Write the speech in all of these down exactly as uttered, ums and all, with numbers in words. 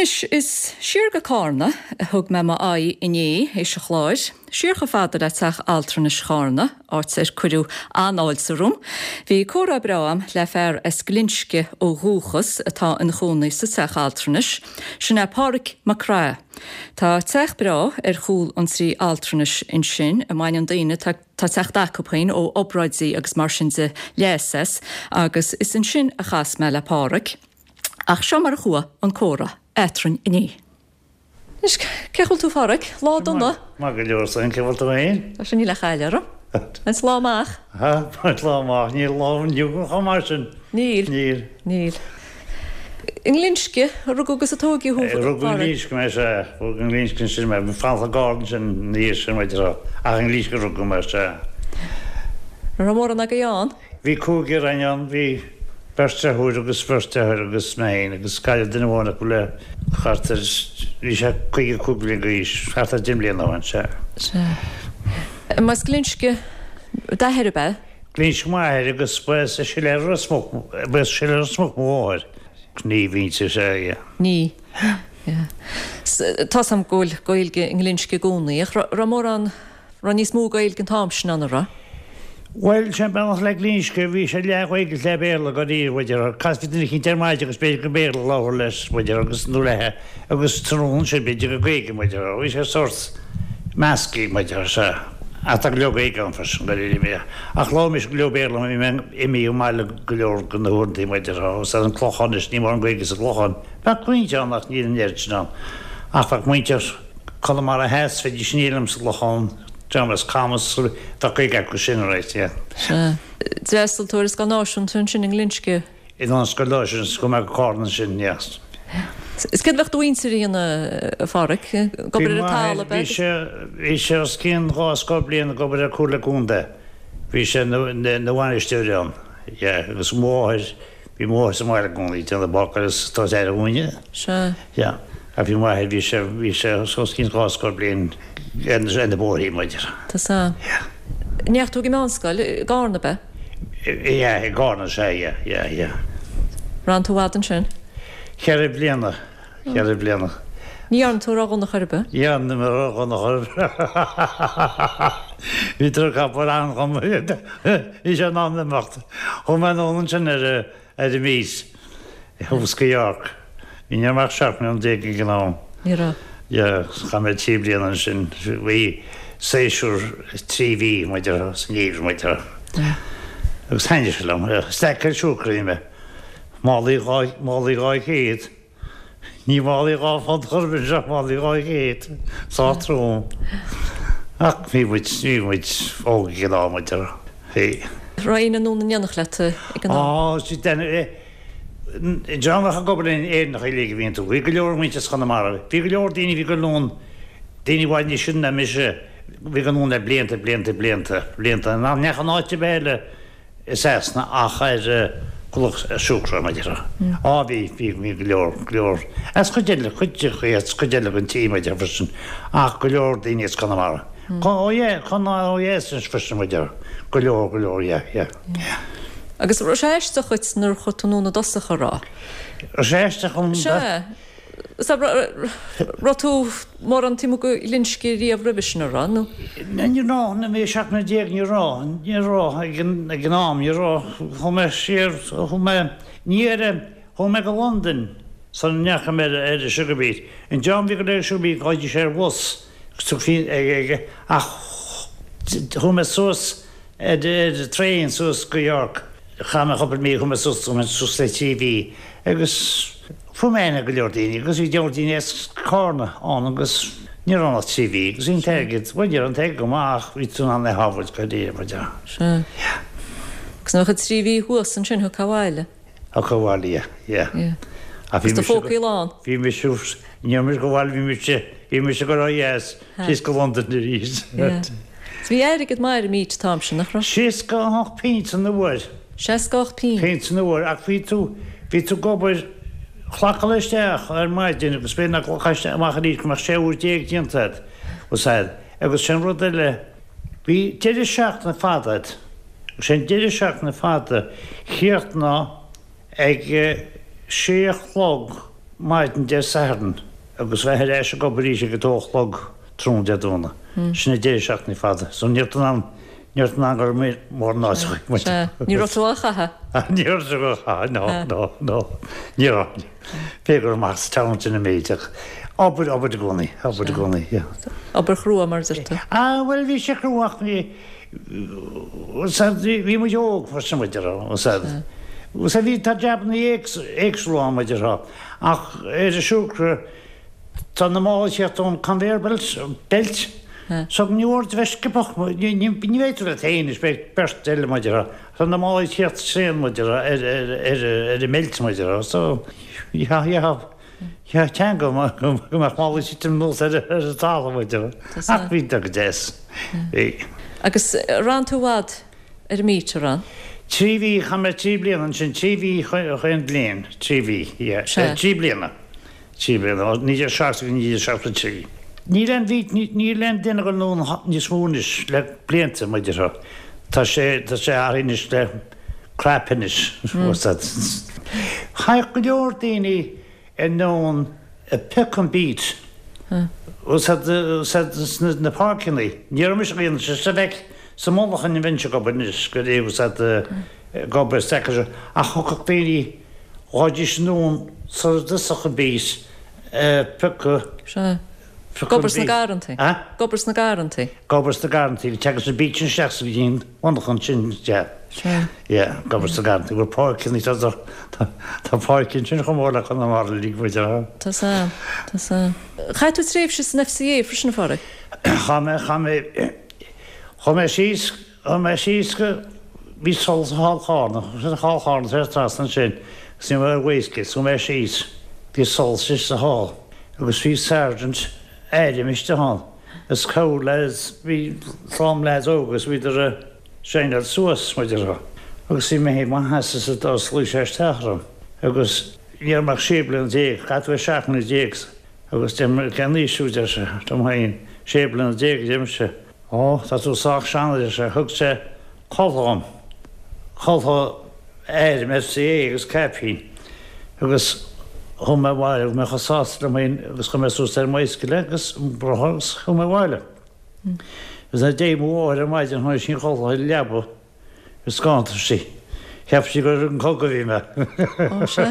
Anois is siar go Carna a thug mé m'aghaidh inné théis an chláir, siar chomh fada le teach altranais Charna, áit ar cuireadh an-fháilte romham. Bhí comhrá breá agam le fear as Glinsce ó dhúchas atá ina chónaí sa teach altranais, sin é Pádraig Mac Craith. Tá teach breá ar chúl an tí altranais ansin a mbaineann daoine tá ag teacht acu féin ó obráidí agus mar sin de leas as, agus is ansin a chas mé le Pádraig. Ach seo mar a chuaigh an comhrá eadrainn inné. Anois cén chaoi a bhfuil tú a Phádraig, lá dona. Maith go leor san cén chaoi a bhfuil tú féin? Tá sin níl a chaill orm. Is lá amach. Ha lá amach níl lá inniu chomh maith sin. Níl. Níl. Níl. I nGlinsce a rugadh agus a tógadh thú a Rugadh i nGlinsce mé sea. Rugadh i nGlinsce ansin mé. Bhí fanacht i gCarna ansin ina dhiaidh sin muid a rá. Ach i nGlinsce a rugadh mé sea. An raibh mórán agaibh ann? Bhí cúigear againn ann, bhí beirt deirfiúr agus beirt deartháir agus mé féin agus cailleadh duine amháin acu le thart ar, bhí sé caoga cúig bliana d'aois, thart ar deich mbliana ó shin, sea. Sea. Más Glinsce d'athair ab ea? Glinsce m'athair agus ba as Siléar Ros Muc, ba as Siléar Ros Muc mo mháthair. Ní mhuintir, sea, yeah. Ní, yeah. Tá's a'm go bhfuil Gaeilge i nGlinsce i gcónaí ach raibh mórán, raibh níos mó Gaeilge an t-am sin ann, an raibh? Bhuel, sin bealach le Glinsce, bhí sé leath Ghaeilge is leath Béarla dáiríre, b'fhéidir. Casfaí duine eicínt ar maidin agus b'fhéidir gur Béarla a labhair leis, b'fhéidir, agus nó leithe, agus tráthnóna ansin b'fhéidir gur Gaeilge, b'fhéidir. Bhí sé sórt measctha, b'fhéidir, sea. Ach tá go leor Gaeilge ann freisin, dáiríre, bhí. Ach labhair mise go leor Béarla mar bhí mé imithe ón mbaile go leor de na huaireantaí, b'fhéidir, agus ar an Clochán anois, níl mórán Gaeilge sa gClochán. Bheadh roinnt ann ach níl an oiread sin ann. Ach bheadh muintir Chonamara Theas, bheidís aniar liom sa gClochán, Dream as Camas, bheadh Gaeilge acu sin, right, yeah. Sea. D'fhreastail tú ar an scoil náisiúnta ansin i nGlinsce? In an scoil náisiúnta, chuaigh mé go Carna ansin, yeah. Is céard a bheadh do mhuintir a dhéanamh, a Phádraic? Ag obair ar an talamh, ab ea? Bhí sé, bhí sé os cionn dhá scór bliain ag obair ar Chomhairle Contae. Bhí sé ina bhainisteoir ann, yeah, agus mo mháthair, Bhí mo mháthair sa mbaile i gcónaí, déanamh bácáil is tabhairt aire dhúinne. Sea. Yeah. Ach bhí m'athair, bhí sé, bhí sé os cionn dhá scór bliain ar na bóithrí, b'fhéidir. Tá sea. Yeah. An ndeachaigh tú ag an meánscoil i gCarna, ab ea? Yeah, i gCarna, sea, yeah, yeah, yeah. Raibh tú i bhfad ansin? Ceithre bliana, ceithre bliana. Ní dhearna tú ró-dhona chor ar bith? Ní dhearna mé ró-dhona chor ar bith. Bhí droch-obair ann dhom. Bhí sé in am imeacht. Chuaigh mé anonn ansin ar ar an meet thuas go York. Ní raibh mé ach seacht mbliana déag ag an am. Ní raibh. Yeah, chaith mé trí bliana ansin. Bhí séasúr trí mhí muid ar sa ngeimhreadh muid ar. Agus thaitnigh sé liom. Stackáil siúcra a bhí mé. Málaí dhá málaí dhá chéad. Ní málaí dhá phunt chor ar bith ach málaí dhá chéad. Sách trom. Ach bhí muid, bhí muid óg ag an am, muid ar, bhí. Raibh éinne anonn in éineacht leat ag an am? Á, sea, an dream a bheadh ag obair linn, Éireannacha uilig a bhí iontu. Bhí go leor muintir as Conamara. Bhí go leor daoine a bhí ag dul anonn, daoine i bhfad níos sine ná mise, a bhí ag dul anonn le blianta, blianta, blianta, blianta, nach ndeachaigh in áit ar bith eile. I Sasana ach ar chulach siúcra, mar a déarfá. Á bhí, bhí, bhí go leor, go leor, as cuid eile, cuid, as cuid eile den tír, mar a déarfá freisin, ach go leor daoine as Conamara. Ó yeah, Conamara ó dheas anois freisin, mar a déarfá. Go leor, go leor, yeah, yeah, yeah. Agus raibh sé aisteach dhuit nuair a chuaigh tú anonn i dtosach, an raibh? Raibh sé aisteach dhom? Sea. Raibh tú mórán taobh amuigh de Ghlinsce riamh roimhe sin, an raibh, nó? Ní raibh, nuair a bhí mé seacht mbliana déag, ní raibh, ní raibh, ag an, ag an am, ní raibh, chuaigh mé siar, chuaigh mé, ní ar, chuaigh mé go Londain sula ndeachaigh mé ar, ar an sugar beet. An dream a bhí ag dul ar an sugar beet, ghabhaidís ar bhus, agus tugfaí ag, ag, ach chuaigh mé suas ar, ar traein suas go York. Chaith mé cúpla mí, chuaigh mé suas, chuaigh mé suas le trí mhí agus fuair mé aithne ar go leor daoine agus bhí go leor daoine as Carna ann agus ní raibh ann ach trí mhí agus bhí an t-airgead, bhuel ní raibh an t-airgead go maith ach bhí tú in ann é a shábháilt go dtí, mar a. Sea. Agus nuair a bhí trí mhí thuas ansin thiocfá abhaile? Thiocfá abhaile, yeah, yeah. Yeah. Ach bhí Agus do mise, phócaí lán? bhí mise, ní raibh mise go bhaile, bhí mise, bhí mise ag dul ó dheas. Síos go Londain arís. Bhí airgead maith ar an mbeet an t-am sin, nach raibh? Seasca a hocht pint an uair. Seasca a hocht pint. Pint an uair, ach bhí tú, bhí tú ag obair, ghlacáil isteach ar maidin agus b'fhéidir nach nglacfá isteach amach arís go mbeadh sé uair déag déanta agat, was agat. Agus sin rud eile, bhí deireadh seachtaine fada agat, agus sé an deireadh seachtaine fada, chríochnófá ag sé a chlog, maidin Dé Sathairn agus bheith ar ais ag obair arís ag a dó a chlog tráthnóna Dé Domhnaigh. Sin an deireadh seachtaine fada. So ní raibh tú in ann, ní raibh tú in ann go raibh mórán áit a chuig. Sea, ní raibh tú á chaitheamh. Ní raibh tú á chaitheamh, no, no, no. Ní raibh. B'fhéidir go raibh amach sa town sin an méid ach obair, obair i gcónaí, obair i gcónaí, yeah. Obair chrua mar a deir tú. Ah, bhuel bhí sé crua ach bhí, bhí muid óg freisin muid a raibh, sea, bhí, tá jabanna éagsúla ann muid a raibh, ach ar an siúcra, tá na málaí ag tíocht ón conveyor belt, belt, so ní mór duit bheith sciobtha, ní, ní, ní bheidh tú leat féin anois, beidh beirt eile muid a raibh, tá na málaí ag tíocht tréan muid a raibh ar, ar, ar, ar an mbeilt muid a raibh, so, yeah, yeah. Teanga go mbeadh málaí ag titim anuas ar an talamh muid a raibh. Ach bhí go deas. Bhí. Agus ar fhan tú i bhfad ar an mbeat, ar fhan? Trí mhí, chaith mé trí bliana ansin, trí mhí chaon bhliain, trí mhí, yeah, trí bliana, trí bliana, ó naoi déag seachtó go naoi déag seachtó trí. Níl aon bheat, níl aon duine ag dul anonn níos mó anois le blianta, muid a raibh. Tá sé, tá sé athraithe anois le crap anois, what's that? Thagadh go leor daoine anonn ag piocadh an beat sna na páirceanna. Ní raibh mise ag déanamh sé sa bhfeic sa mullach an bheinnse ag obair anois go raibh fhios a'd ag obair sa seo ach thiocfadh daoine ghabhaidís anonn sara dtosódh an beat ag piocadh Sea. Ag obair sna garrantaí. A? Ag obair sna garrantaí. Ag obair sna garrantaí. Tagann an beat sin isteach sa bhliain monarchan sin, yeah. Sea. Yeah, ag obair sna garrantaí. Bhfuil páirceanna, tá, tá, tá páirc ansin chomh mór le Conamara uilig, muid a. Tá 's a'm, tá 's a'm. Chaith tú tréimhse san FCA freisin, a Phádraig? Chaith mé, chaith mé, chuaigh mé síos, chuaigh mé síos go, bhí solas i Hall Chárna, sin Hall Chárna tar trasna ansin, agus ní raibh mé ar bhaoiscéal, chuaigh mé síos, bhí solas istigh sa hall. Agus bhí sergeant airm istigh ann is cabhair lads, bhí slám lads óga agus bhíodar ag saighneáil suas, mar a déarfá. Agus bhí mé féin i mo sheasamh sa doras luigh sé isteach orm agus ní raibh mé ach sé bliana déag, caithfidh tú bheith seacht mbliana déag agus deir mé, cén aois thú, deir sé, dom féin, sé bliana déag a deirimse. Ó, tá tú sách sean, a deir sé. Thug sé culaith dhom, culaith airm FCA agus caipín agus chuaigh mé abhaile, bhí mé chomh sásta liom féin agus chuir mé suas ar an mbicycle é agus an rothar agus chuaigh mé abhaile. Agus nuair a d'éirigh mo mháthair ar maidin chonaic sí an chulaith ar an leaba is scanraigh sí. Cheap sí gur ar an gcogadh a bhí mé. Ó, sea.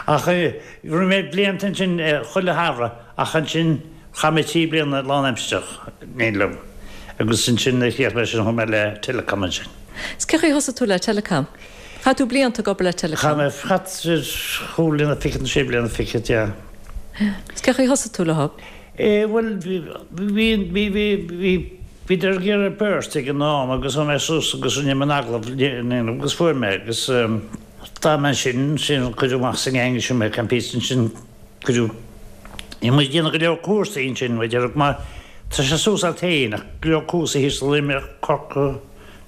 Ach rinne mé blianta ansin chuile shamhradh ach ansin chaith mé trí bliana lánaimsearach in éindí liom agus ansin nuair a chríochnaigh mé sin chuaigh mé le Telecom ansin. Is cén chaoi a thosaigh tú le Telecom? Chaith tú blianta ag obair le Telecom? Chaith mé, chaith chúig bliana fichead nó sé bliana fichead, yeah. Is cén chaoi a thosaigh tú leo? Eh bhuel bhí, bhí, bhí, bhí, bhí, bhíodar ag iarraidh beirt ag an am agus chuaigh mé suas agus rinne mé an agallamh agus fuair mé agus d'fhan mé ansin, ansin cuireadh amach sa ngeaing ansin mé, Campiste ansin cuireadh, bhí muid ag déanamh go leor cúrsaí ansin, muid ar, mar tá sé suas as féin ach go leor cúrsaí thíos i Luimneach, Corcaigh,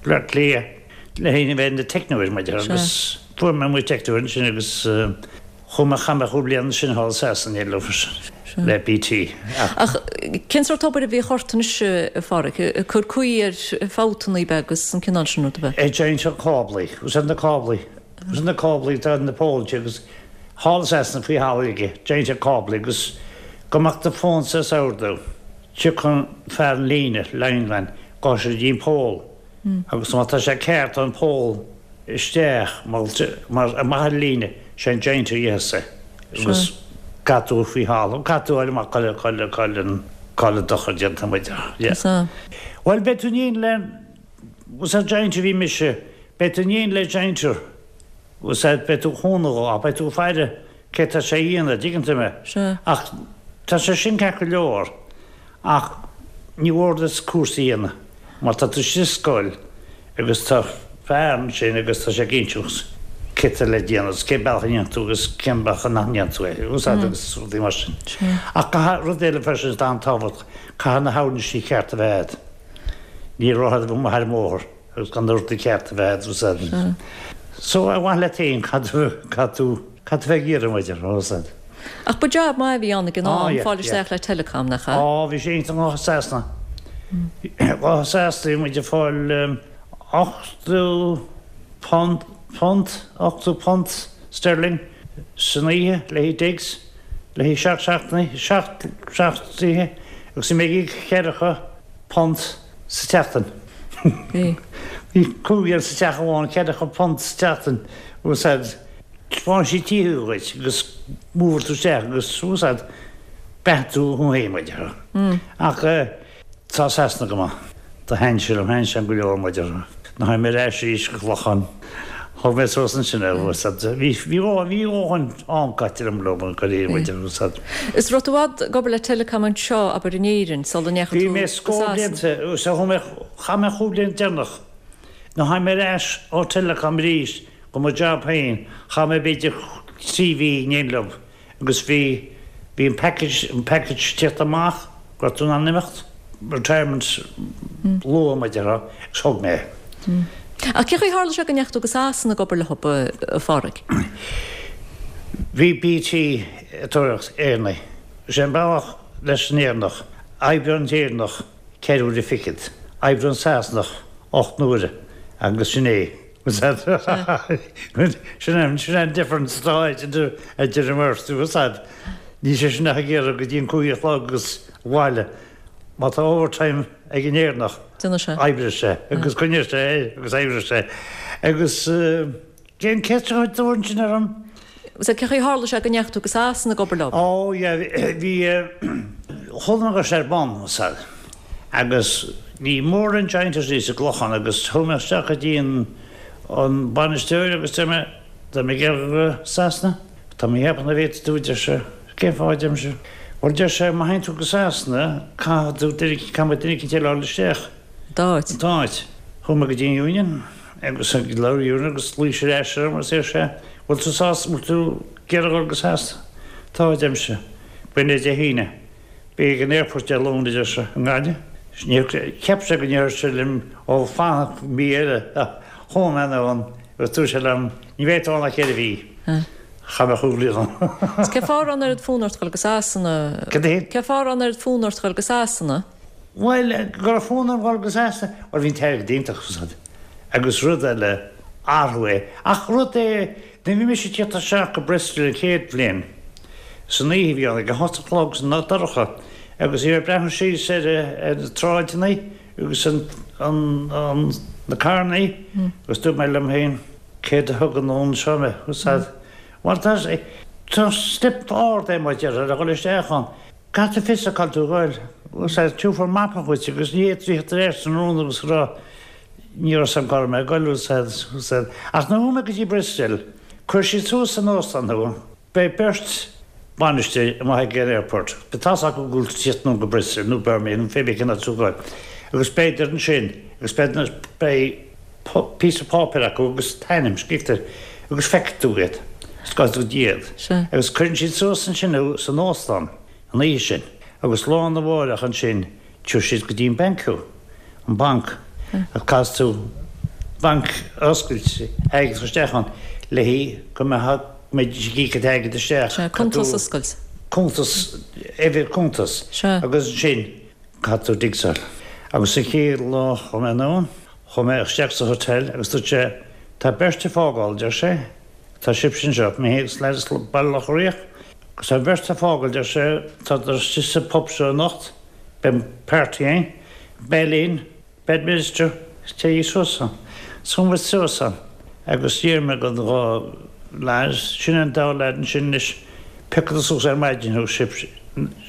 Bleá Cliath le héinne a bheith ina teicneoir muid agus fuair mé mo teicneoir ansin agus chuaigh mé chaith mé chúig bliana ansin thall i Sasana leo freisin le BT. Ach cén sórt obair a bhíodh ort anois a Pháraic? Ag cur caoi ar fabhtanna ab ea agus an cineál sin rud ab ea? Ag jointeáil cáblaí, úsáid na cáblaí, úsáid na cáblaí atá ar na póiltí agus thall i Sasana faoi thalamh aige, jointeáil cáblaí agus go mbeadh do fón sa ordú. Tiocfaidh fear an líne, lineman, gabhfaidh sé go dtí an poll agus má tá sé ceart tá an poll isteach mar amach ar an líne, sé an jointer a dhéanfas é agus caithfidh tú faoi thalamh, caithfidh tú fháil amach cá bhfuil, cá bhfuil, cá bhfuil an dochar déanta muid. Sea. Bhuel beidh tú in éindí le, sa jointer a bhí mise, beidh tú in éindí le jointer, beidh tú ag cúnamh dhó ach beidh tú ag faire cé tá sé a dhéanamh, dtuigeann tú mé? Sea. Ach tá sé sin ceart go leor ach ní mhór duit cúrsa a dhéanamh mar tá tú istigh i scoil agus tá fear ansin agus tá sé ag inseacht cé tá le déanamh agus cén bealach a ndéanann tú agus cén bealach nach ndéanann tú é, agus agus rudaí mar sin. Sea. Ach caithfidh rud eile freisin atá an-tábhachtach, caithfidh na huirlisí cearta a bheith agat. Ní raibh a bheith amuigh ar an mbóthar agus gan na rudaí cearta a bheith agat, Sea. So ar mhaithe leat féin caithfidh tú, caithfidh tú, caithfidh tú bheith ag iarraidh muid ar fad. Ach ba jab maith a bhí ann ag an Á, am, yeah, fáil yeah. isteach le Telecom, nach ea? Á, bhí sé iontach i Sasana. I Sasana bhí muid ag fáil ochtó punt, punt, ochtó punt sterling san oíche le haghaidh digs, le haghaidh seacht seachtainí, seacht seacht oíche, agus bhí mé ag íoc ceathracha punt sa tseachtain. Bhí. Bhí cúigear sa teach amháin, ceathracha punt sa tseachtain, úsáid. Thaispeáin siad tithe dhuit agus move tú isteach agus úsáid beatha tú thú féin, mar a déarfá. Ach tá Sasana go maith. Do thaitin sé liom, thaitin sé liom go leor, mar a déarfá. Nuair a tháinig mé ar ais arís go Clochán, thug mé suas ansin é, úsáid. Bhí bhí bhí dhóthain am caite agam leo, go léir, mar a déarfá, úsáid. Is raibh tú i bhfad ag obair le Telecom anseo, abair, in Éirinn, sula ndeachaigh Bhí tú mé go scór Sasana? blianta, úsáid, chuaigh mé, chaith mé chúig bliana deireanach. Nuair a tháinig mé ar ais ó Telecom arís go mo job féin, chaith mé b'fhéidir trí mhí in éindí leo agus bhí bhí an package an package tíocht amach go raibh tú in ann imeacht, retirement luath mar a déarfá, agus thóg mé é. Ach cén chaoi a tharla sé go ndeachaigh tú go Sasana ag obair leo, a Phádraig? Bhí BT ag tóraíocht Éireannaigh. Is é an bealach leis an Éireannach, oibreoidh an tÉireannach ceithre huaire fichead, oibreoidh an Sasanach ocht n-uaire agus sin é. Sin an sin an difference atá idir idir an mbeirt, bhfuil fhios a'd. Níl sé sin ach ag iarraidh go dtí an cúig a chlog agus abhaile. Má tá overtime ag an Éireannach, Déanfaidh sé. oibreoidh sé agus coinneoidh sé é agus oibreoidh sé. Agus cén ceist a chuir tú ansin orm? Sea, cén chaoi a tharla sé go ndeachaigh tú go Sasana ag obair leo? Ó, yeah, bhí chuala mé go raibh sé ar bun, bhfuil fhios a'd. Agus ní mórán jointers sa gClochán agus chuaigh mé isteach go dtí an an bainisteoir agus deir mé, tá mé ag iarraidh go Sasana, tá mé ag ceapadh nach bhféadfaidh tú, deir sé, cén fáth, a deirimse. Bhuel, deir sé, má théann tú go Sasana, caithfidh tú duine, caithfidh muid duine eicínt eile a fháil isteach. D'áit. D'áit. Chuaigh mé go dtí an Union agus labhair Union agus ghlaoigh sé ar ais orm agus deir sé, bhfuil tú sásta, bhfuil tú ag iarraidh dul go Sasana? Tá, a deirimse. B'in é Dé hAoine. Bí ag an airport Dé Luain, a deir sé, i nGaillimh. Níor, cheap sé go ndéarfadh sé liom, ó, fan mí eile. Chuaigh mé anonn agus dúirt sé liom, ní bheidh tú ann ach ceithre mhí. Chaith mé chúig bliana ann. Cén fáth a raibh an oiread fonn ort dul go Sasana? Cad é? Cén fáth a raibh an oiread fonn ort dul go Sasana? Bhuel, go raibh fonn orm dul go Sasana, bhuel bhí an t-airgead iontach, bhfuil fhios a'd. Agus rud eile, athrú é. Ach rud é, nuair a bhí mise ag tíocht isteach go Bristol an chéad bhliain, san oíche a bhí ann, ag a hocht a chlog san dorcha, agus bhí mé ag breathnú síos ar ar na tsráideanna agus an, an, an, na carrannaí, agus dúirt mé liom féin, céard a thug anonn anseo mé, bhfuil fhios a'd. Bhuel, tá, tá step ard é mar a déarfá le dhul isteach ann. Caithfidh tú fios a cá bhfuil tú ag goil, bhfuil fhios a'd, tabharfar mapa dhuit agus ní fhéadfaí theacht ar ais tráthnóna agus rá, ní raibh fhios a'm cá raibh mé ag goil, bhfuil fhios a'd, bhfuil fhios a'd. Ach nuair a chuaigh mé go dtí Bristol, chuir siad suas san óstán thú, beidh beirt bainisteoir amuigh ag an airport, beidh tá's acu go bhfuil tú ag tíocht anonn go Bristol nó Birmingham nó pé bith cén áit tú ag goil, agus beidh ansin agus beidh, beidh píosa páipéir acu agus t'ainm scríofa air agus feicfidh tú iad, is gabhfaidh tú go dtí iad. Sea. Agus cuireann siad suas ansin thú san óstán an oíche sin agus lá arna mháireach ansin tabharfaidh siad go dtí an banc thú, an banc, agus caithfidh tú banc a oscailt, airgead a chur isteach ann le haghaidh go mbeadh, go mbeidís ag íoc an t-airgead isteach. Sea, cuntas a oscailt. Cuntas, uimhir cuntas. Sea. Agus ansin caithfidh tú digsáil. Agus sa chéad lá chuaigh mé anonn, chuaigh mé isteach sa hotel agus dúirt sé, tá beirt ag fágáil, deir sé, tá sibhse anseo, mé féin agus leaid as Baile Locha Riach, agus tá beirt ag fágáil, deir sé, tá istigh sa pub seo anocht, beidh party ann, beidh linn, Bedminster, téigí suas ann. So chuaigh muid suas ann agus d'iarr mé don dhá leaid, sin an dá leaid ansin anois, piocadar suas ar maidin thú,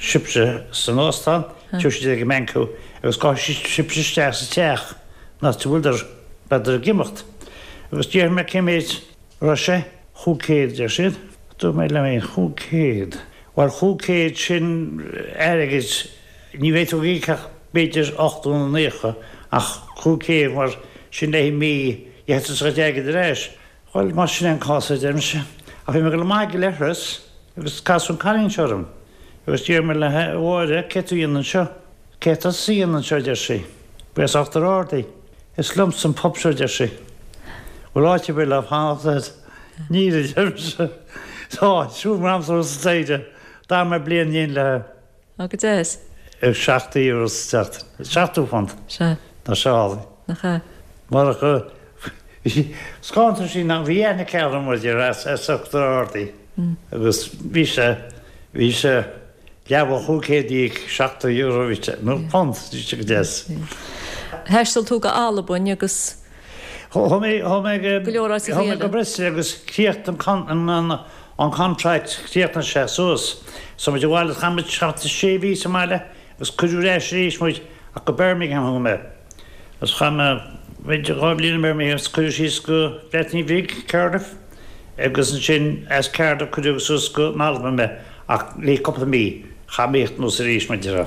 sibhse san óstán, tabharfaidh siad ag an mbanc thú agus gabhfaidh sibhse isteach sa teach an áit a bhfuileadar, beadar ag imeacht. Agus d'iarr mé cé mhéid a raibh sé, chúig chéad, deir siad. Dúirt mé liom féin, chúig chéad? Bhuel, chúig chéad sin airgead, ní bheidh tú ag íoc ach b'fhéidir ochtó nó naocha, ach chúig chéad mar sin le haghaidh mí, gheobhaidh tú do chuid airgid ar ais. Bhuel, más sin é an cás, a deirimse. Ach bhí mé ag dul amach ag an leithreas agus casadh an cailín seo orm agus d'iarr mé léi, a Mháire, céard tú a dhéanamh anseo? Céard tá tusa a dhéanamh anseo, a deir sí. Ba as Uachtar Ard í. Is liomsa an pub seo, a deir sí. Bhfuil áit ar bith le fanacht agat? Níl, a deirimse. Tá, siúl mé amsa sa staighre. D'fhan mé bliain in éindí léi. Ó, go deas. Seachtó euro sa tseachtain. Seachtó punt. Sea. Tá sé álainn. Nach ea? Marach go scántar sí nach bhí aithne aici orm, a deir as as Uachtar Ard í. Agus bhí sé bhí sé leath chúig chéad déag seachtó euro bhí sé nó punt bhí sé go deas. Thaistil tú go Albain agus Chuaigh mé chuaigh mé go Go leor áiteacha chuaigh mé eile. go Bristol agus chríochnaigh an an an contract chríochnaigh sé suas. So muid abhaile chaith muid seacht sé mhí sa mbaile agus cuireadh ar ais arís muid ach go Birmingham chuaigh mé. Agus chaith mé b'fhéidir dhá bhliain i Birmingham agus cuireadh síos go Breatain Bhig Cardiff agus ansin as Cardiff cuireadh suas go Albain mé ach le cúpla mí chaith mé anuas arís mar déarfá.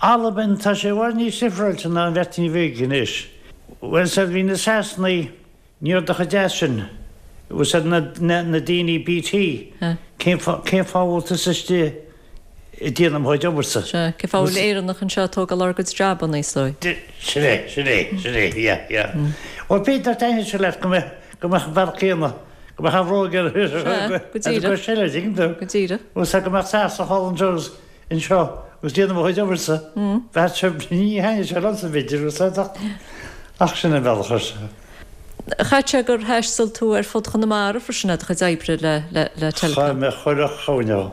Albain tá sé i bhfad níos difriúilte ná an Bhreatain Bhig anois. Bhuel said bhí na Sasanaigh ní raibh chomh deas sin. Bhuel said na, na, na daoine BT cén fáth cén fáth bhfuil tusa istigh ag déanamh mo chuid obairse. Sea, cén fáth bhfuil Éireannach anseo ag tógáil ár gcuid jabanna is dóigh. Sin é, sin é, sin é, yeah, yeah. Bhuel b'fhéidir taitneamh sé leat go mbeadh go mbeadh an bealach céanna go mbeadh an bhróg ar Sea, go díreach. go seile dtuigeann tú. Go díreach. Bhuel said go mbeadh Sasanach thall anseo anseo agus déanamh mo chuid obairse. Bheadh sé ní thaitneodh sé liomsa b'fhéidir bhuel said ach ach sin an bealach ar se. Chaith sé gur thaistil tú ar fud Chonamara freisin le do chuid oibre le le le Chaith Telecom. mé chuile chúinne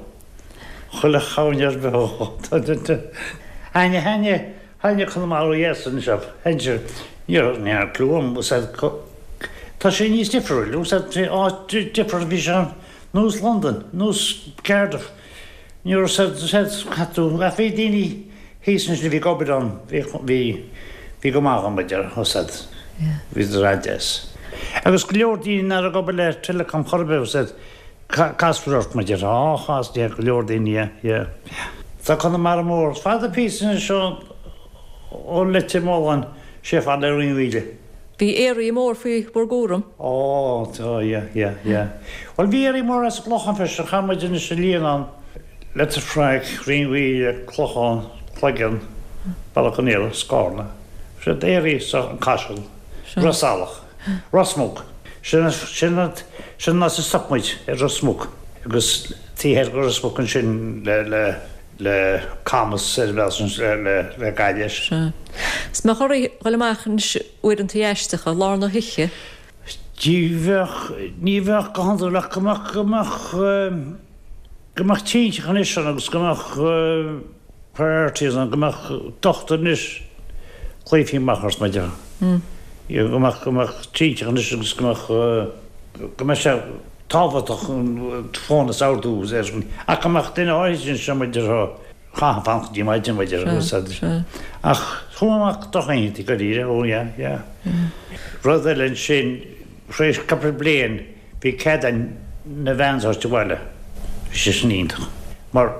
chuile chúinne ar bith. Haine haine haine Conamara yes anseo heinse ní ní clúam said Tá sé níos difriúil, said áit difriúil bhí sé nós London, nós Cardiff. Ní raibh said said chaith tú ach bhí daoine thíos ansin a bhí ag obair ann bhí bhí bhí go maith agam idir said bhí raideas. Agus go leor daoine nach ag obair le Telecom chor ar bith said Casper ort mar déarfá á chas de go leor daoine yeah. Tá Conamara mór fada píosa seo ó Leitir Mealláin sé fad le Rinn Mhíle. Bhí area mór faoi bhur gcúram. Ó tá yeah yeah yeah. Well bhí area mór as an gClochán freisin chaith muid anois a líon ann Leitir Fraic, Rinn Mhíle, Clochán, Cloigeann, Bealach an Íola, Scarna. Sé area sa an Caiseal, Ros Ealach, Ros Muc. Sin sin sin ná sa stop muid ar Ros Muc agus tí ar go Ros Muc ansin le le le Camas ar bheal sin le le le Gaillimh. Sea. Is mbeadh oraibh dhul amach anois uaireanta aisteacha lár na hoíche. Ní bheadh ní bheadh go hiondúil ach go mbeadh go mbeadh go mbeadh tinte anois ann agus go mbeadh priorities ann go mbeadh dochtúir anois glaofaí amach ort mar déarfá. Go mbeadh go mbeadh tinte anois agus go mbeadh go mbeadh sé tábhachtach fón is ordú ach go mbeadh duine áirithe anseo mar déarfá chaithfeá fanacht go dtí maidin mar déarfá Sea, sea. Ach chuaigh amach drochoícheanta go díreach ó yeah yeah. Rud eile ansin tar éis cúpla bliain bhí cead againn na vans a thabhairt abhaile. Bhí sé sin iontach. Mar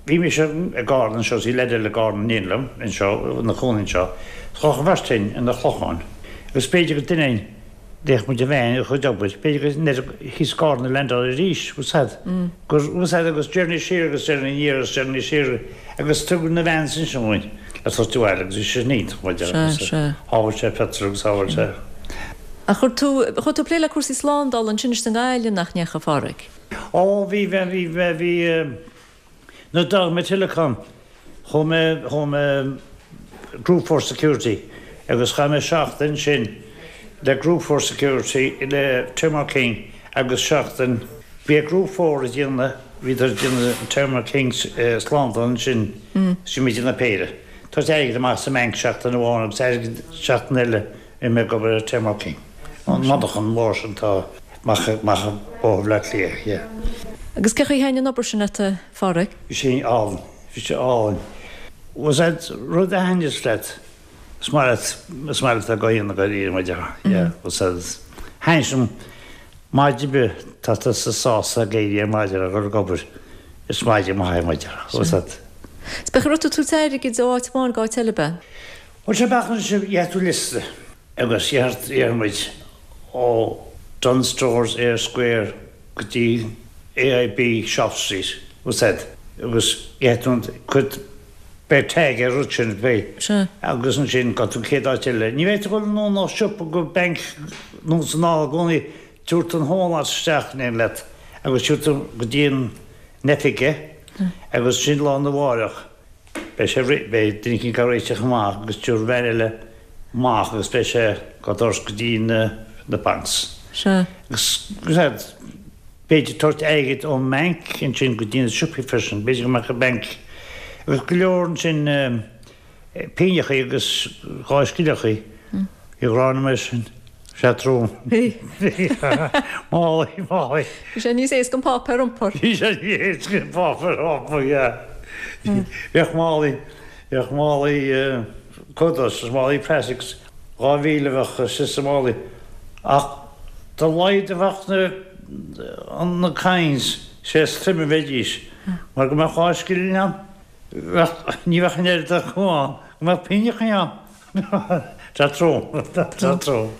bhí mise i gCarna anseo is bhí leaid eile i gCarna in éindí liom anseo ina chónaí anseo. Chuaigh an bheirt againn ina Clochán. Agus b'fhéidir go duine d'fhéach muid a bhean a chuid obair, b'fhéidir go ndeir thíos Carna landáil arís úsáid. Gur úsáid agus journey siar agus journey aniar agus journey siar agus tugadh na vans sin sin le tabhairt abhaile agus bhí sé sin iontach mar Sea, sea. Shábháil sé petrol agus shábháil sé. Ach chuir tú chuir tú plé le cúrsaí slándála ansin is i nGaillimh nach ndeachaigh a Phádraig. Ó bhí bhí bhí bhí bhí nuair a d'fhág mé Telecom chuaigh mé chuaigh mé Group Four Security agus chaith mé seachtain sin le Group Four Security le Thermo King agus seachtain bhí Group Four ag déanamh bhíodar ag déanamh Thermo King slándáil ansin sin muid ina péire. Tá airgead amach sa mbanc seachtain amháin agus airgead seachtain eile i mé ag obair ar Thermo King. An monarcha mór sin tá amach amach Bóthar Bhaile Átha Cliath, yeah. Agus cén chaoi ar thaitin an obair sin leat a Phádraig? Bhí sé álainn, bhí sé álainn. Was that rud a thaitníos leat? Is maith leat is maith leat a go dhéanamh go rí mar déarfá, yeah, was that thaitn maidin bith tá tusa sásta ag éirí ar maidin a dhul ag obair is maidin maith mar déarfá, was that. Is b'é raibh tú tabhairt airgid ó áit amháin go áit eile be? Bhuel sé bealach sin gheobhaidh tú liosta agus iarr muid ó Dunnes Stores Eyre Square go dtí AIB Shop Street was that agus gheobhaidh tú an cuid beidh tag ar rud sin beidh Sea. agus ansin go tú céad áit eile. Ní bheidh tú ag dul nó siopa go banc nó san áil i gcónaí tabhairt an whole lot isteach in aon leat agus tabhairt tú go dtí an oifige agus sin lá na mháireach beidh sé beidh duine éicint á réiteach amach agus tabharfaidh bean eile amach agus beidh sé go doras go dtí na na banks. Sea. Agus B'fhéidir tabhairt airgead ón mbanc ansin go dtí na siopaí freisin, b'fhéidir go mbeadh an banc agus go leor ansin pingneachaí agus dhá scilleachaí. Bhí ghrá na sin. Sé trom. Bhí. Málaí, málaí. Bhí sé níos éasca an páipéar a iompar. Bhí sé níos éasca an páipéar a iompar, yeah. Bheadh málaí, bheadh málaí Kudos is málaí plastic dhá mhíle a bheadh istigh sa málaí. Ach dá laghad a bheadh na na coins, sé is troime a bheidís. Mar go mbeadh dhá scilling ann, bheadh, ní bheadh an oiread acu ann, go mbeadh pingneachaí ann. Tá trom, tá trom.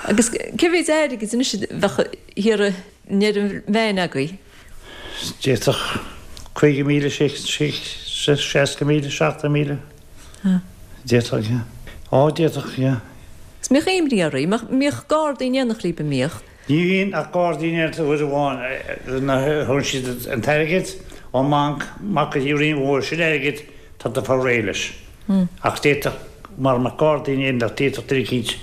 Agus cé mhéid airgid anois a bheadh thiar i ndeireadh an veain agaibh? D'fhéadfadh caoga míle, seasca míle, seachtó míle. D'fhéadfadh, yeah. Á, d'fhéadfadh, yeah. Is mbíodh imní oraibh, mbíodh gardaí in éineacht libh, an mbíodh? Ní bhíonn ach gardaí in éineacht uair amháin nuair a thugann siad an t-airgead ón mbanc amach go dtí an Rinn Mhór, sin airgead tá tú ag fáil réidh leis. Ach d'fhéadfadh, mara mbeadh gardaí in éineacht, d'fhéadfadh duine eicínt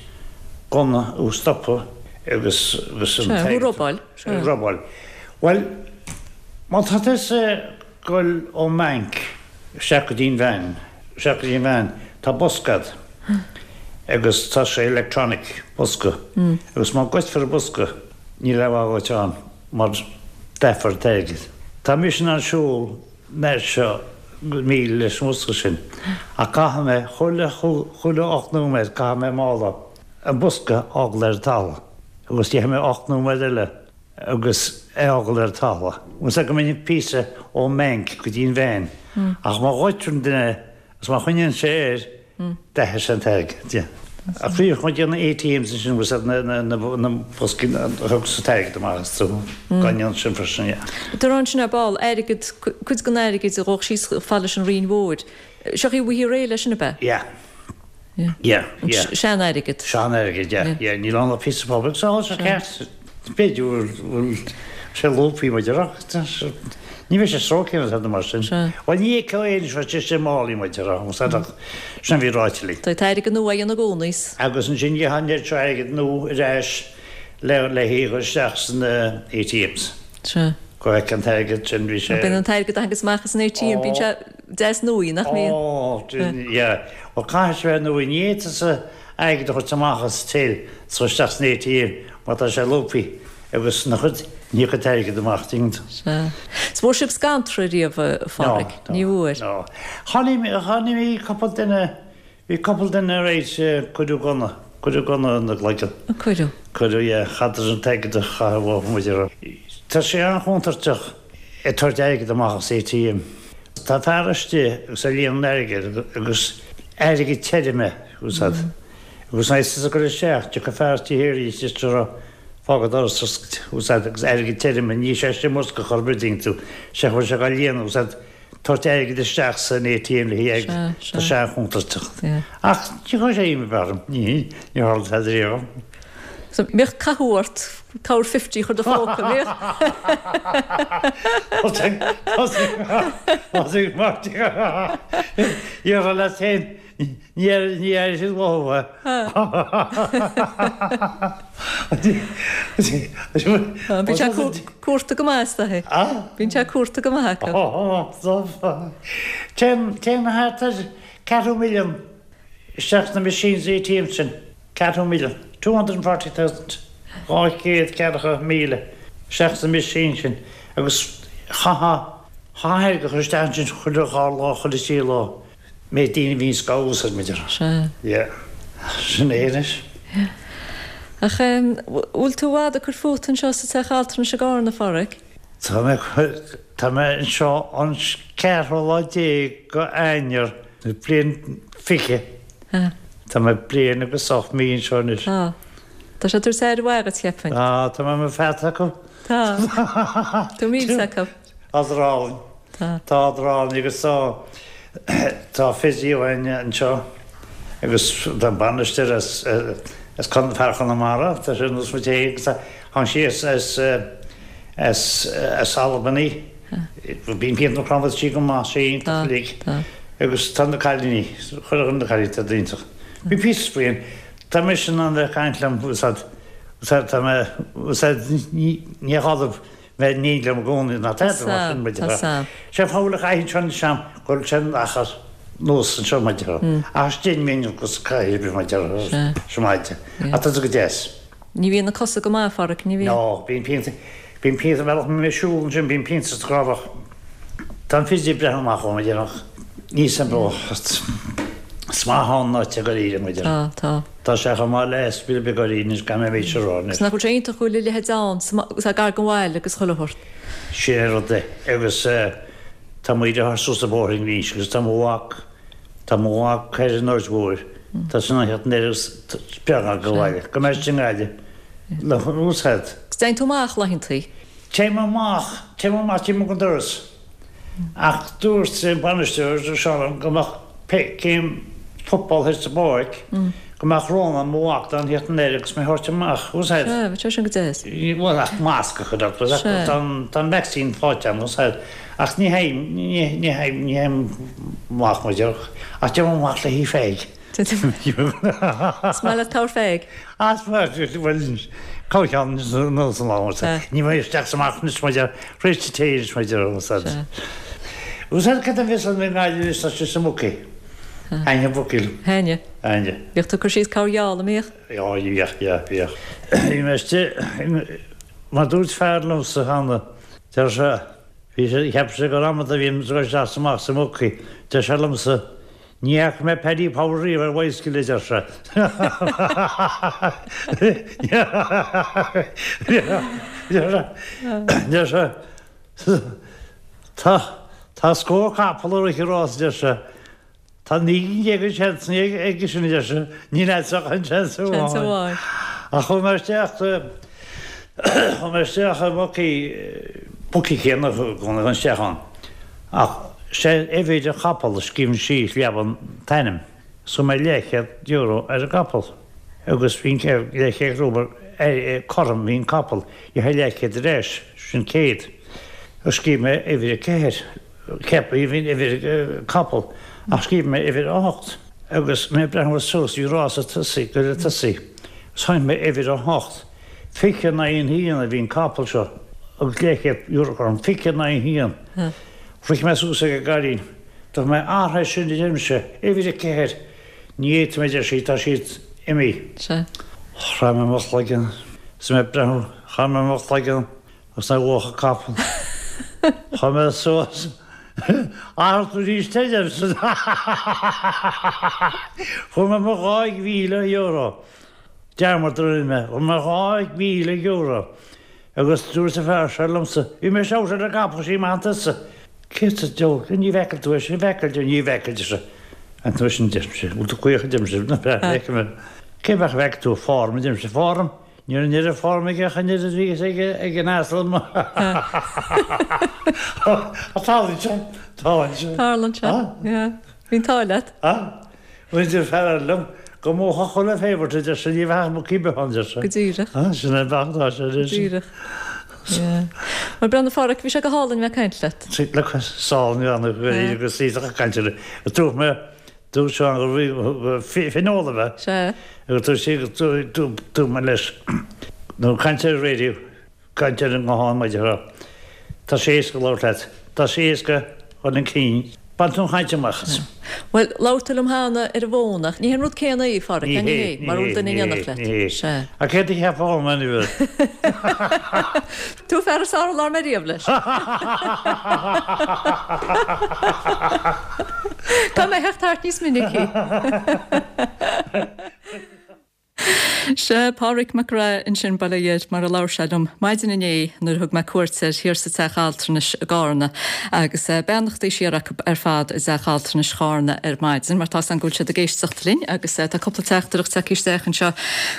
gunna thú a stopadh agus agus an Sea, thú t-airgead a robáil. a robáil. Bhuel, má tá tusa ag goil ón mbanc isteach go dtí an veain, isteach go dtí an veain, tá bosca a'd agus tá sé electronic, bosca, agus má goidfear an bosca níl aon mhaith dhuit ann mar dathfar an t-airgead. Tá mise in ann siúl an fhad seo míle leis an mbosca sin ach caithfidh mé chuile chuile ocht nóiméad caithfidh mé mála, an bosca a fhágáil ar an talamh agus déanfaidh mé ocht nóiméad eile agus é a fhágáil ar an talamh. Bhfuil 's a'd go mbeidh píosa ón mbanc go dtí an veain ach má ghoidtear an duine agus má choinníonn sé air, dathfaidh sé an t-airgead. Ach bhí chun déanamh ATMs ansin bhfuil 's a'd na na na boscaí a thug sa t-airgead amach astu gan dhéanamh sin freisin, yeah. Tá ansin ar ball, airgead, cuid den airgead a ghabhadh síos chomh fada leis an Rinn Mhór. Seo í bhí réidh leis sin ab ea? Yeah. Yeah, yeah. Sean-airgead. Sean-airgead, yeah, yeah. Níl ann ach píosa páipéir. Tá sé ceart. B'fhéidir go bhfuil sé lúbthaí muid a rá. Ní bheidh sé stróicthe nó tada mar sin. Bhuel, ní fheicfeá é anois, bheadh sé istigh i málaí muid a rá. Sin a bhí ráite linn. Tá airgead nua á dhéanamh i gcónaí. Agus ansin gheofá an oiread seo airgead nua ar ais le le hé a chur isteach sna ATMs. Sea. Go bhfeicfeá an t-airgead sin, bhí sé. Bíonn an t-airgead a thagas amach as an ATM, bíonn sé deas nua, nach mbíonn? Ó, yeah. Bhuel, caithfidh sé bheith nua. Ní fhéadfá tusa airgead a thabhairt amach as till is a chur isteach san ATM mar tá sé lúbthaí agus na chuid, ní thiocfaidh an t-airgead amach, tuigeann tú. Sea. 'S bhfuair sibh scantra riamh, a Phádraig? No, Ní bhfuair? no. Chonaic, chonaic, bhí cúpla duine, bhí cúpla duine right, cuireadh gunna, cuireadh gunna ina gcloigeann. A cuireadh? Cuireadh, yeah. Chaitheadar an t-airgead a chaitheamh uathu muid a rá. Tá sé an-chontúirteach ag tabhairt airgead amach as ATM. Tá fear istigh agus ag líonadh an airgid agus airgead tirim a úsáid. Agus nuair is ag cur isteach, tiocfaidh fear istigh thiar arís is a rá fág an doras oscailte, úsáid agus airgead tirim, ní sé sin mbosca chor ar bith, tuigeann tú, sé chuir sé dhá líonadh, úsáid tabhairt airgead isteach san ATM le haghaidh airgead, tá sé an-chontúirteach. Ach ní chuir sé imní orm, ní ní tharla tada riamh dom. So mbíodh cathú ort corr fifty a chur i do phóca, mbíodh? Thosaigh Marty iarraidh leat féin Ní airigh siad uathu é. Bíonn sé cuarta go maith astu. Bíonn sé cuarta go maith acu. Téann thart ar ceathrú milliún isteach sna machines ATM sin. Ceathrú milliún. Two hundred and forty thousand. Dhá chéad ceathracha míle isteach sna machines sin agus chaithfeá airgead a chur isteach ansin chuile dhá lá, chuile thrí lá. Méid daoine a bhíonns á úsáid muid ar. Sea. Yeah. Sin é anois. Yeah. Ach em, bhfuil tú i bhfad ag cur fút anseo sa teach altranais i gCarna, a Phádraig? Tá mé, tá mé anseo an ceathrú lá déag go Eanáir, bliain fiche. Sea. Tá mé bliain agus ocht mí anseo anois. Tá. Tá sé ag tabhairt aire mhaith dhuit, cheapfainn. Tá, tá mé i mo pheata acu. Tá. Tú milse acu. Tá siad álainn. Tá. Tá siad álainn agus tá tá physio againn anseo agus tá an bainisteoir as as fear Chonamara, tá sé nós muid féin agus tháinig sí as as as as Albany. Bíonn pian na crann sí go maith sé iontach uilig. Agus tá na cailíní, chuir na cailíní tá iontach. Bhí píosa faoin tá mise in ann bheith ag caint liom úsáid úsáid tá mé úsáid ní ní ghadaimh bheith ní liom i gcónaí ná Tá tada mar sin, tá muid. Sé fála chaithfidh sin seam go bhfuil sin achar nós anseo muid. Ach sin mé agus caithfidh muid se maide. Ach tá go deas. Ní bhíonn na cosa go maith Pháraic, ní bhíonn? No, bíonn pianta bíonn pianta bealach mé siúl ansin bíonn pianta sa chrábhadh. Tá an physio ag breathnú amach dhom, a déarfadh. Ní sem bro. Is maith ann ná te go ríre muid. Tá, tá. Tá sé chomh maith le spil beag go ríre gan mé méid rá. Agus nach bhfuil sé iontach go bhfuil a leithéid ann, sa gar don bhaile agus chuile shórt. Sin é rud é. Agus tá muid a suas an bóthar arís agus tá mo mhac tá mo mhac ar an Aird Mhóir. Tá sin an cheart beag go bhaile. Go mbeidh sin gaile. Le úsáid. Agus téann tú amach laethantaí? Téim amach, téim amach, téim go doras. Ach dúirt an bainisteoir Seán go mbeadh céim football thar sa bpáirc, go mbeadh Rónán mo mhac don theacht anoir agus mé thabhairt amach, úsáid. Sea, bhí sé sin go deas. Bhuel ach masc a chur ort, Sea. tá an vaccine faighte agam, úsáid. Ach ní théim, ní théim, ní théim amach mar déarfadh. Ach téim amach le hí féig. Is maith leat corrpheig. As bhuel cócheann nó san lá. Ní bheidh isteach sa amach anois mar deir, réite té anois mar deir, úsáid. Úsáid cad a bhíos an nGaillimh is tá sé sa mBookie. Aine Bookie. Aine. Aine. Bhíodh tú ag cur síos corrgheall, an mbíodh? Já, bhíodh, yeah, bhíodh. Bhí mé istigh, mar dúirt fear liomsa cheana, deir sé, bhí sé, cheap sé gur amanta a bhí ag dul isteach is amach sa mBookie, deir sé liomsa, Ní fhaca mé Paddy Power riamh ar bhicycle, a deir sé. Deir sé, Tá, tá scór capall ag rith an rás, a deir sé. Tá naoi gcinn déag de sheansanna aige sin, a deir sé. Níl agat ach an seans amháin. Seans amháin. Ach chuaigh mé isteach, chuaigh mé isteach i mbookie, bookie céanna a chuaigh mé isteach ann. Ach sé uimhir an chapaill a scríobhann síos leamhan t-ainm. So mé leathchéad euro ar an gcapall agus bhí an leathchéad euro cothrom bhí an capall gheofá leathchéad ar ais, sin céad. Agus scríobh mé uimhir a ceathair, cheap mé bhí uimhir capall ach scríobh mé uimhir a hocht agus mé ag breathnú suas bhí rás ag tosaí, ag tosaí. Agus chonaic mé uimhir a hocht, fiche naoi a haon a bhí an capall seo agus leathchéad euro cothrom, fiche naoi a haon. Rith mé suas ag an gcailín. Dúirt mé, Athraigh sin, a deirimse, uimhir a ceathair. Ní fhéadfaidh mé, a deir sí, tá siad imithe. Sea. Chroith mé mo chloigeann. Is mé ag breathnú, chroith mé mo chloigeann agus nár bhuafadh capall. Chuaigh mé suas. Athraigh tú arís é, a deirimse. Fuair mé mo dhá mhíle euro. Dearmad a rinne mé. Fuair mé dhá mhíle euro. Agus dúirt an fear seo liomsa, bhí mé seabhac ar an gcapall sí maith tusa. Cé sa diabhal, ní bhfeiceann tú é sin, bhfeiceann tú, ní bhfeiceann tú sé. An tú sin deirimse, bhfuil tú caoch a deirimse, na feicim é. Cé bheadh a bhfeiceann tú form a deirimse, form? Ní raibh an oiread form aige ach an oiread a bhí ag ag an asal. Tarlaíonn sé, tarlaíonn sé. Tarlaíonn sé, yeah. Bhí an t-ádh leat. Bhuel, deir fear eile liom go mbuafadh chuile favourite, a deir sé, ní bheadh bookie beo ann, deir sé. Go díreach. Sin é an bealach atá sé anois. Go díreach. Yeah. Bhuel, breathnaigh a Pháraic, bhí sé go hálainn bheith ag caint leat. Look, sál ní bhean agus í ag caint ar Dúirt mé, dúirt Seán go raibh fineola bheith. Sea. Agus dúirt sí, dúirt mé leis, nó caint ar an raidió, caint ar an nguthán maidir le, tá sé éasca labhairt leat, tá sé éasca chun an cinn. Bain tú an chaint amach as. Bhuel, labhair tú liom cheana ar an bhfón ach ní hé an rud céanna é, a Pháraic, Ní ní hé, hé, ní mar hé, bhfuil duine ní in hé, éineacht leat. ní hé. Sea. Ach céard a cheapfá dhom anyway? Tú fear is fearr a labhair mé riamh leis. Tá mé ag teacht thart níos minicí. Sea, Páraic Mac Craith ansin, bail ó Dhia air, mar a labhair sé liom maidin inné nuair a thug mé cuairt air thiar sa Teach Altranais i gCarna agus beannachtaí siar acu ar fad i dTeach Altranais Charna ar maidin mar tá's agam go bhfuil siad ag éisteacht linn agus tá cúpla teachtaireacht tagtha isteach anseo.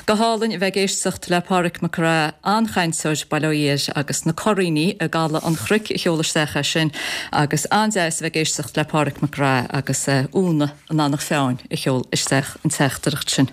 Go hálainn a bheith ag éisteacht le Páraic Mac Craith, an-chainteoir, bail ó Dhia air, agus na Curraoiní i gCaladh an Chnoic a sheol isteach é sin agus an-deas a bheith ag éisteacht le Páraic Mac Craith agus Úna in Eanach Mheáin a sheol isteach an teachtaireacht sin.